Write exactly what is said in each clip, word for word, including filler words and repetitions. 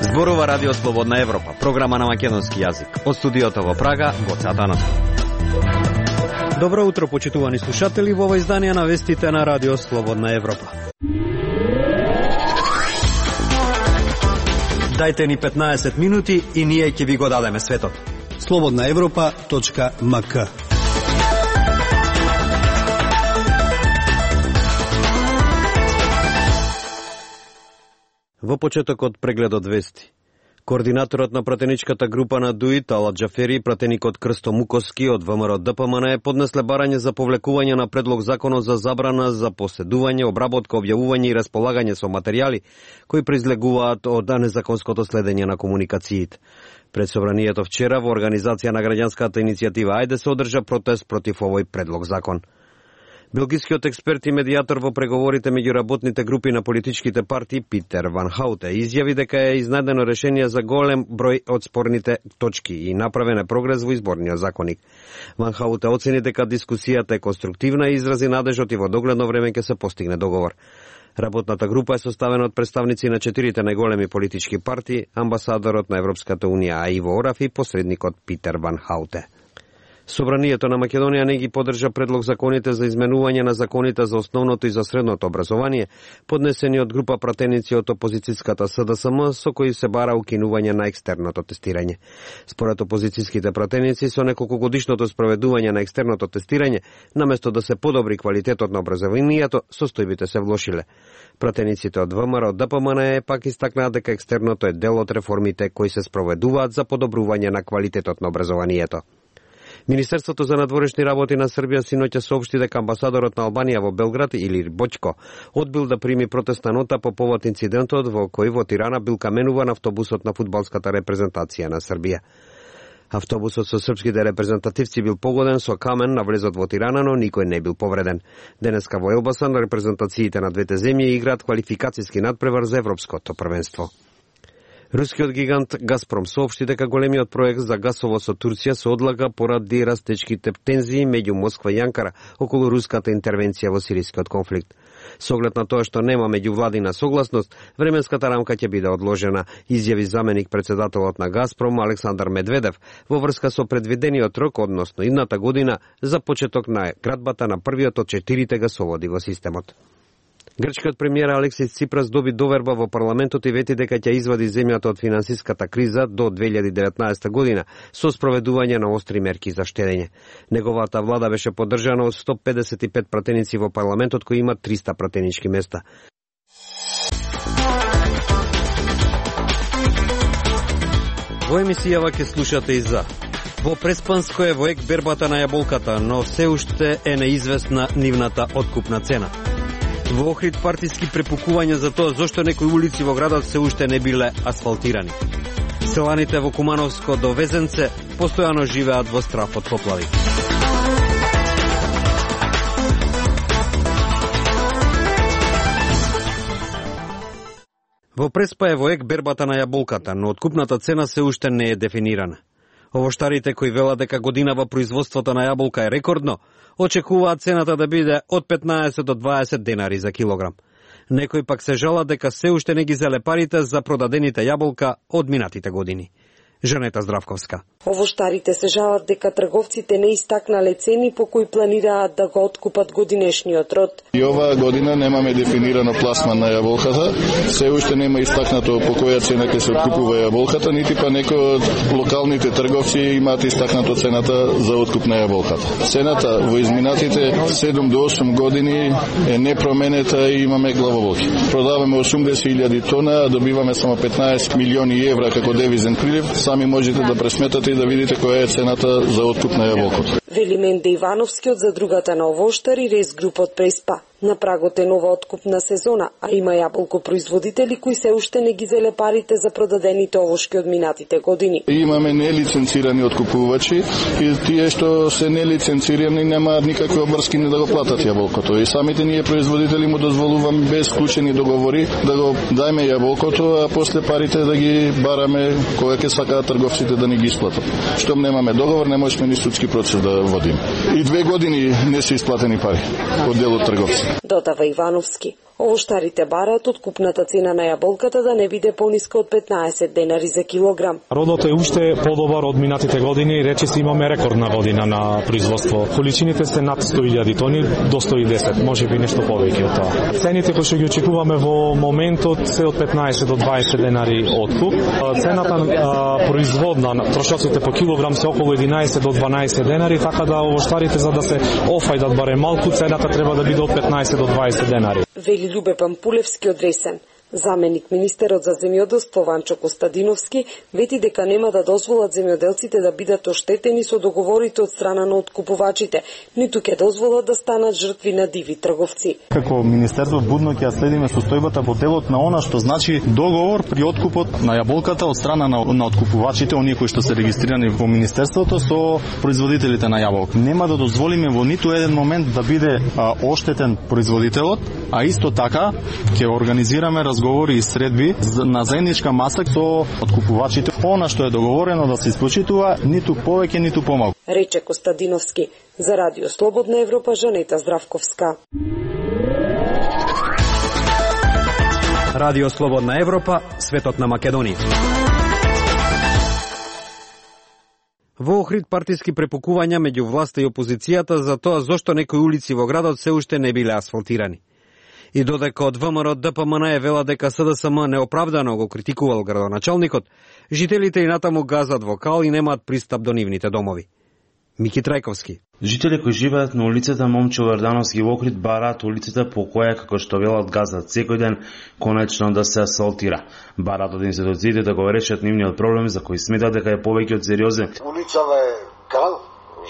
Зборува Радио Слободна Европа, програма на македонски јазик. Од студиото во Прага, Гоце Атанасов. Добро утро, почитувани слушатели, во ова издание на вестите на Радио Слободна Европа. Дајте ни петнаесет минути и ние ќе ви го дадеме светот. слободна европа точка ем ка. Во почетокот прегледот вести. Координаторот на пратеничката група на ДУИ, Талат Џафери, пратеникот Крсто Муковски од ВМРО Д П М Н поднесле барање за повлекување на предлог законот за забрана за поседување, обработка, објавување и располагање со материјали кои произлегуваат од незаконското следење на комуникациите. Пред собранието вчера во организација на граѓанската иницијатива Ајде се одржа протест против овој предлог закон. Белгискиот експерт и медијатор во преговорите меѓу работните групи на политичките партии Питер Ван Хауте изјави дека е изнайдено решение за голем број од спорните точки и направен е прогрес во изборниот законник. Ван Хауте оцени дека дискусијата е конструктивна и изрази надежот и во догледно време ќе се постигне договор. Работната група е составена од представници на четирите најголеми политички партии, амбасадорот на Европската унија Аиво Ораф и посредникот Питер Ван Хауте. Собранието на Македонија не ги поддржа предлог законите за изменување на законите за основното и за средното образование, поднесени од група пратеници од опозицијската С Д С М, со кои се бара укинување на екстерното тестирање. Според опозицијските пратеници, со неколкогодишното спроведување на екстерното тестирање, наместо да се подобри квалитетот на образованието, состојбите се влошиле. Пратениците од В М Р Д П М Н пак истакнаат дека екстерното е дел од реформите кои се спроведуваат за подобрување на квалитетот на образованието. Министерството за надворешни работи на Србија синоќа соопшти дека амбасадорот на Албанија во Белград Илир Боќко одбил да прими протестна нота по повод инцидентот во кој во Тирана бил каменуван автобусот на фудбалската репрезентација на Србија. Автобусот со српските репрезентативци бил погоден со камен на влезот во Тирана, но никој не бил повреден. Денеска во Елбасан репрезентациите на двете земји играат квалификацијски надпревар за европското првенство. Рускиот гигант Газпром соопшти дека големиот проект за гасово со Турција се одлага поради растечките тензии меѓу Москва и Анкара околу руската интервенција во сирискиот конфликт. Со оглед на тоа што нема меѓувладина согласност, временската рамка ќе биде одложена, изјави заменик председателот на Газпром Александар Медведев во врска со предвидениот рок, односно идната година, за почеток на градбата на првиот од четирите гасоводи во системот. Грчкиот премиер Алексис Ципрас доби доверба во парламентот и вети дека ќе извади земјата од финансиската криза до две илјади и деветнаесета година со спроведување на остри мерки за штедење. Неговата влада беше поддржана од сто педесет и пет пратеници во парламентот кои имат триста пратенички места. Во емисијава ќе слушате и за во Преспанско е во ек бербата на јаболката, но се уште е неизвестна нивната откупна цена. Во Охрид партиски препукувања за тоа зошто некои улици во градот се уште не биле асфалтирани. Селаните во Кумановско до Везенце постојано живеат во страф од поплави. Во Преспа е во ек бербата на јаболката, но откупната цена се уште не е дефинирана. Овоштарите кои велат дека годинава производството на јаболка е рекордно, очекуваат цената да биде од петнаесет до дваесет денари за килограм. Некои пак се жалат дека се уште не ги зеле парите за продадените јаболка од минатите години. Жанета Здравковска. Овоштарите се жалат дека трговците не истакнале цени по кои планираат да го откупат годинешниот род. И оваа година немаме дефинирано пласман на јаболката, се уште нема истакнато по која цена ќе се откупува јаболката, нити па некои од локалните трговци имаат истакнато цената за откуп на јаболката. Цената во изминатите седум до осум години е непроменета и имаме главоболки. Продаваме осумдесет илјади тона, а добиваме само петнаесет милиони евра како девизен прилив. Сами можете да пресметате и да видите која е цената за откуп на јаболкото. Вели Менде Ивановски од задругата на овоштари Рез Груп од Преспа. На прагот е нова откупна сезона, а има јаболкопроизводители кои се уште не ги зеле парите за продадените овошки од минатите години. Имаме нелиценцирани откупувачи и тие што се нелиценцирани немаат никакви обврски не да го платат јаболкото. И самите ние производители му дозволуваме без склучени договори да го дајме јаболкото, а после парите да ги бараме кога ќе сакаат трговците да ни ги исплатат. Штом немаме договор, не можеме ни судски процес да водиме. И две години не се исплатени пари од дел од трговци. Додава Ивановски. Овоштарите бараат откупната цена на јаболката да не биде пониска од петнаесет денари за килограм. Родот е уште подобар од минатите години и речиси имаме рекордна година на производство. Количините се над сто илјади тони до сто и десет, може би нешто повеќе од тоа. Цените кои што ги очекуваме во моментот се од петнаесет до дваесет денари откуп. Цената а, производна на трошоците по килограм се околу единаесет до дванаесет денари, така да овоштарите за да се офајдат барем малку, цената треба да биде од петнаесет до дваесет денари. Вели Љубе Пампулевски од Ресен. Заменик министерот за земјоделство Ванчо Костадиновски вети дека нема да дозволат земјоделците да бидат оштетени со договорите од страна на откупувачите, ниту ќе дозволат да станат жртви на диви трговци. Како министерство будно ќе следиме состојбата во делот на она што значи договор при откупот на јаболката од страна на, на откупувачите, оние кои што се регистрирани во министерството со производителите на јаболка. Нема да дозволиме во ниту еден момент да биде а, оштетен производителот, а исто така ќе организираме разговори и средби на заедничка маса со откупувачите. Она што е договорено да се исплачува, ниту повеќе, ниту помалку. Рече Костадиновски. За Радио Слободна Европа, Жанета Здравковска. Радио Слободна Европа, светот на Македонија. Во Охрид партиски препукувања меѓу власта и опозицијата за тоа зошто некои улици во градот се уште не биле асфалтирани. И додека од ВМРО ДПМН е вела дека СДСМ неоправдано го критикувал градоначалникот, жителите и натаму газат во кал и немаат пристап до нивните домови. Мики Трајковски. Жители кои живеат на улицата Момчил Јордановски во Охрид бараат улицата по која, како што велат, газат секој ден, конечно да се асфалтира. Бараат од институциите да го решат нивниот проблем за кој сметат дека е повеќе од сериозен. Улицава е кал,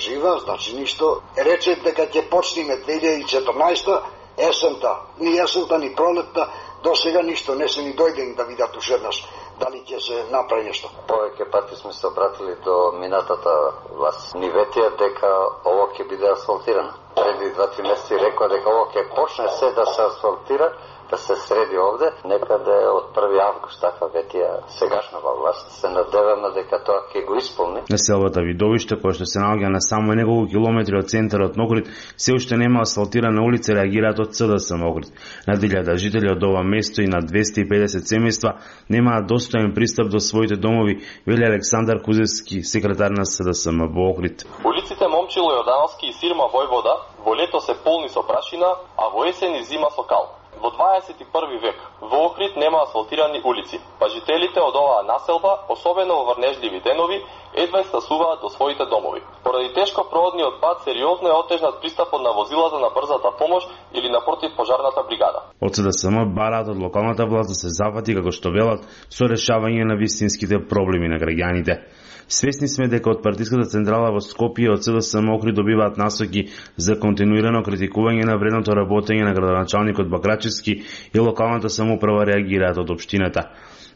жива, значи ништо. Рече дека ќе почнеме две илјади и четрнаесета есента, ни есента, ни пролетта, до сега ништо не се ни дојдени да видат уште еднаш дали ќе се направи нешто. Повеќе пати сме се обратили до минатата власт. Ни ветија дека ово ќе биде асфалтирано. Преди два-три месеци рекоа дека ово ќе почне се да се асфалтира, да се среди овде, некаде од први август, така ветија сегашнава власт. Се надеваме дека тоа ќе го исполни. Населбата Видовиште, која што се наоѓа на само неколку километри од центарот на Охрид, се уште нема асфалтирана улица, реагираат од СДСМ Охрид. Над илјада жители од ова место и на двесте и педесет семејства немаат достоен пристап до своите домови, вели Александар Кузевски, секретар на СДСМ во Охрид. Улиците Момчило Јордановски и Сирма Војвода во лето се полни со прашина, а во есен и зима со кал. Во дваесет и први век во Охрид нема асфалтирани улици, па жителите од оваа населба, особено во врнежливи денови, едва стасуваат до своите домови. Поради тешко проводниот пат сериозно е отежнат пристапот на возилата на брзата помош или на противпожарната бригада. Од СДСМ бараат од локалната власт да се зафати, како што велат, со решавање на вистинските проблеми на граѓаните. Свесни сме дека од партиската централа во Скопје од СДСМ Охрид добиваат насоки за континуирано критикување на вредното работење на градоначалникот Бакрачевски и локалната самоуправа реагираат од општината.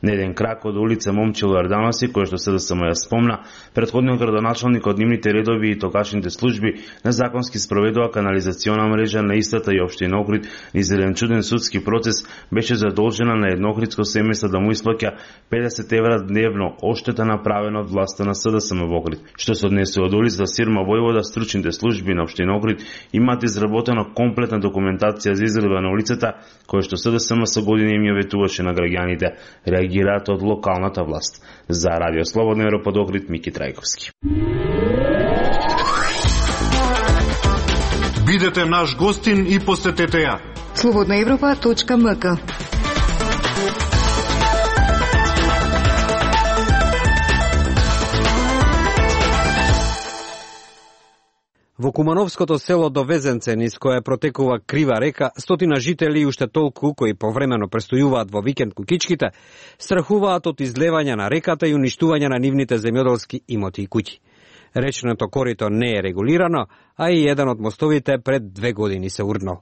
На еден крак од улица Момчил Јордановски, кој што СДСМ ја спомна, претходниот градоначалник од нивните редови и токашните служби незаконски спроведува канализациона мрежа на истата и општина Охрид низ еден чуден судски процес, беше задолжена на едно охридско семејство да му исплаќа педесет евра дневно оштета направена од власта на СДСМ во Охрид. Што се однесе од улица Сирма Војвода, стручните служби на општина Охрид имаат изработена комплетна документација за изгледа на улицата, која што СДСМ со години им ја ветуваше на граѓаните. Реагираат од локалната власт. За Радио Слободна Европа од Охрид, Мики Трајковски. Бидете наш гостин и посетете ја. слободна европа точка ем ка. Во Кумановското село Довезенце, низ кое протекува крива река, стотина жители и уште толку кои повремено престојуваат во викенд кукичките, страхуваат од излевање на реката и уништување на нивните земјоделски имоти и куќи. Речното корито не е регулирано, а и еден од мостовите пред две години се урнал.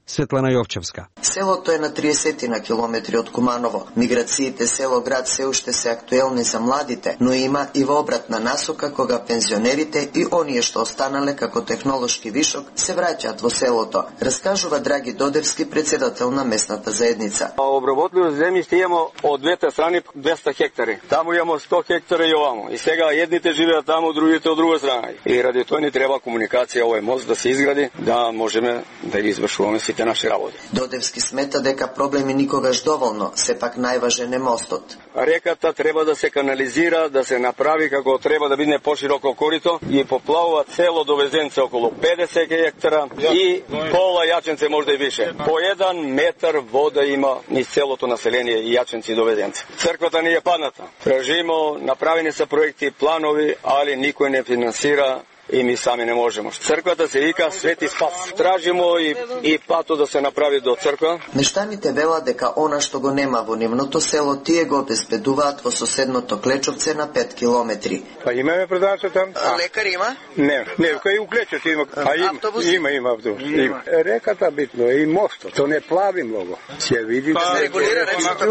Светлана Јовчевска. Селото е на триесет на километри од Куманово. Миграциите село-град се уште се актуелни за младите, но има и во обратна насока кога пензионерите и оние што останале како технолошки вишок се враќаат во селото, раскажува Драги Додевски, председател на местната заедница. Обработливо земјиште имамо од двете страни двеста хектари. Таму имамо сто хектари и овамо. И сега едните живеат таму, другите од друга страна. И ради тоа ни треба комуникација, овој мост да се изгради, да можеме да ги извршуваме сите наши работи. Додевски смета дека проблеми никогаш доволно, сепак најважен е мостот. Реката треба да се канализира, да се направи како треба да биде пошироко корито и поплавува цело до Везенце околу педесет хектара и пола Јаченце можда и више. По еден метар вода има низ целото население и Јаченци до Везенце. Црквата ни е падната. Тражимо, направени се проекти, планови, али никој не финансира и ми сами не можеме. Црквата се вика Свети Спас. Тражимо и, и пато да се направи до црква. Мештаните велат дека она што го нема во нивното село, тие го обезбедуваат во соседното Клечовце на пет километри. Па имаме продавача там. А лекар има? Не, не, кај у Клечовце има. А има, автобус? Има, има автобус. Има. Реката битно е и мостот. То не плави многу. Се види да се регулира речното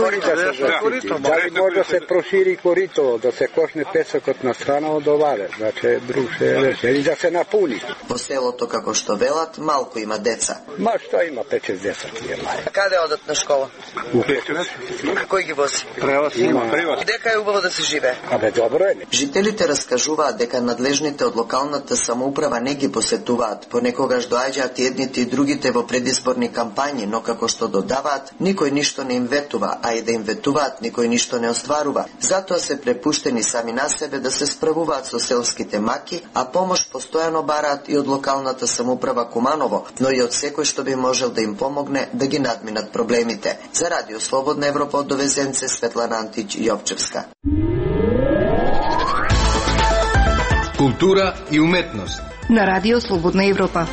корито. Дали може да се прошири корито, да се кошне песокот на страна од оваде. Значи друг се и да се напуни. Во селото, како што велат, малку има деца. Ма што има пет-шест деца тие мај. Каде одат на школа? У Клечовец. Кој ги вози? Превоз има. Превоз. Дека е убаво да се живее? Абе добро е. Жителите раскажуваат дека надлежните од локалната самоуправа не ги посетуваат. Понекогаш доаѓаат и едните и другите во предизборни кампањи, но како што додаваат, никој ништо не им ветува, а и да им ветуваат, никој ништо не остварува. Затоа се препуштени сами на себе да се справуваат со селските маки, а помош постојано бараат и од локалната самоуправа Куманово, но и од секој што би можел да им помогне да ги надминат проблемите. За Радио Слободна Европа од Довезенце, Светлана Антич Јовчевска. Култура и уметност на Радио Слободна Европа.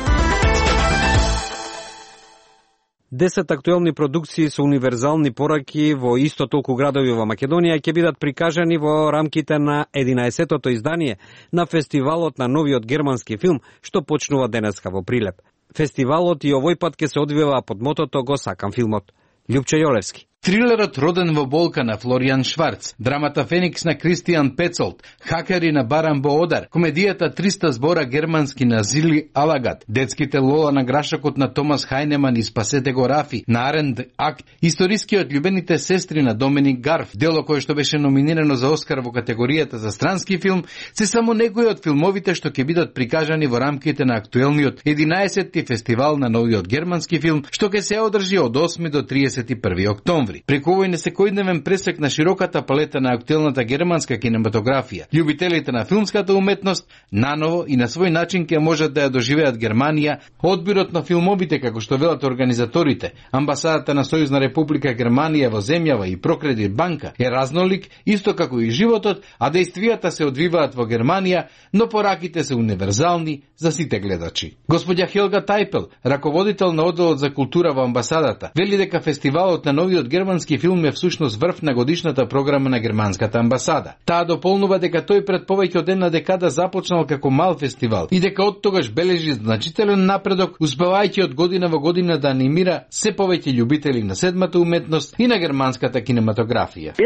Десет актуелни продукции со универзални пораки во исто толку градови во Македонија ќе бидат прикажани во рамките на единаесеттото издание на фестивалот на новиот германски филм, што почнува денеска во Прилеп. Фестивалот и овој пат ќе се одвива под мотото "Го сакам филмот". Љупчо Јолевски. Трилерот "Роден во болка" на Флоријан Шварц, драмата "Феникс" на Кристијан Пецолт, "Хакери" на Баран Боодар, комедијата триста збора германски на Зили Алагат, детските "Лола" на Грашакот на Томас Хајнеман и "Спасете го Рафи" на Аренд Акт, историскиот "Љубените сестри" на Доминик Гарф, дело кое што беше номинирано за Оскар во категоријата за странски филм, се само некои од филмовите што ќе бидат прикажани во рамките на актуелниот единаесетти фестивал на новиот германски филм, што ќе се одржи од осми до триесет и први октомври. Преку овој несекојдневен пресек на широката палета на актуелната германска кинематографија, љубителите на филмската уметност наново и на свој начин ќе можат да ја доживеат Германија, одбирот на филмовите како што велат организаторите, амбасадата на Сојузна република Германија во земјава и Прокредит банка е разнолик, исто како и животот, а действијата се одвиваат во Германија, но пораките се универзални за сите гледачи. Господја Хелга Тајпел, раководител на одделот за култура во амбасадата, вели дека фестивалот на новиот германски филм е всушност врв на годишната програма на германската амбасада. Таа дополнува дека тој пред повеќе од една декада започнал како мал фестивал и дека од тогаш бележи значителен напредок, успевајќи од година во година да анимира се повеќе љубители на седмата уметност и на германската кинематографија.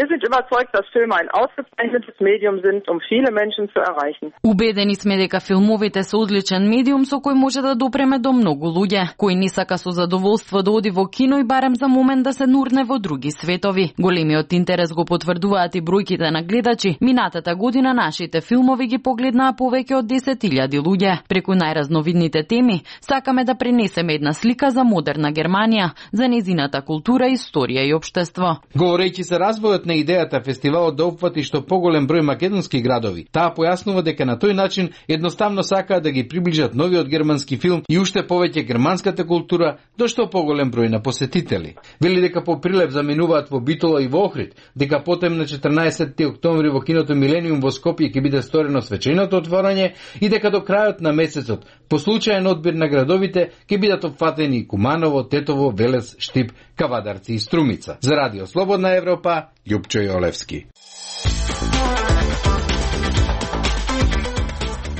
Убедени сме дека филмовите се одличен медиум со кој може да допреме до многу луѓе, кој ни сака со задоволство да оди во кино и барем за момент да се нурне во други светови. Големиот интерес го потврдуваат и бројките на гледачи. Минатата година нашите филмови ги погледнаа повеќе од десет илјади луѓе. Преку најразновидните теми сакаме да пренесеме една слика за модерна Германија, за незината култура, историја и општество. Говорејќи за развојот на идејата фестивалот да опфати што поголем број македонски градови, таа појаснува дека на тој начин едноставно сакаат да ги приближат новиот германски филм и уште повеќе германската култура до што поголем број на посетители. Вели дека по Прилеп заминуваат во Битола и во Охрид, дека потем на четрнаесетти октомври во киното Милениум во Скопје ќе биде сторено свеченото отворање и дека до крајот на месецот по случаен одбир на градовите ќе бидат опфатени Куманово, Тетово, Велес, Штип, Кавадарци и Струмица. За Радио Слободна Европа, Љупчо Јолевски.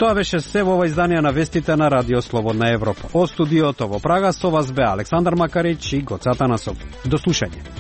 Тоа беше се во ова издание на вестите на Радио Слободна Европа. Од студиото во Прага со вас бе Александар Макарич и Гоца Танасов. До слушање.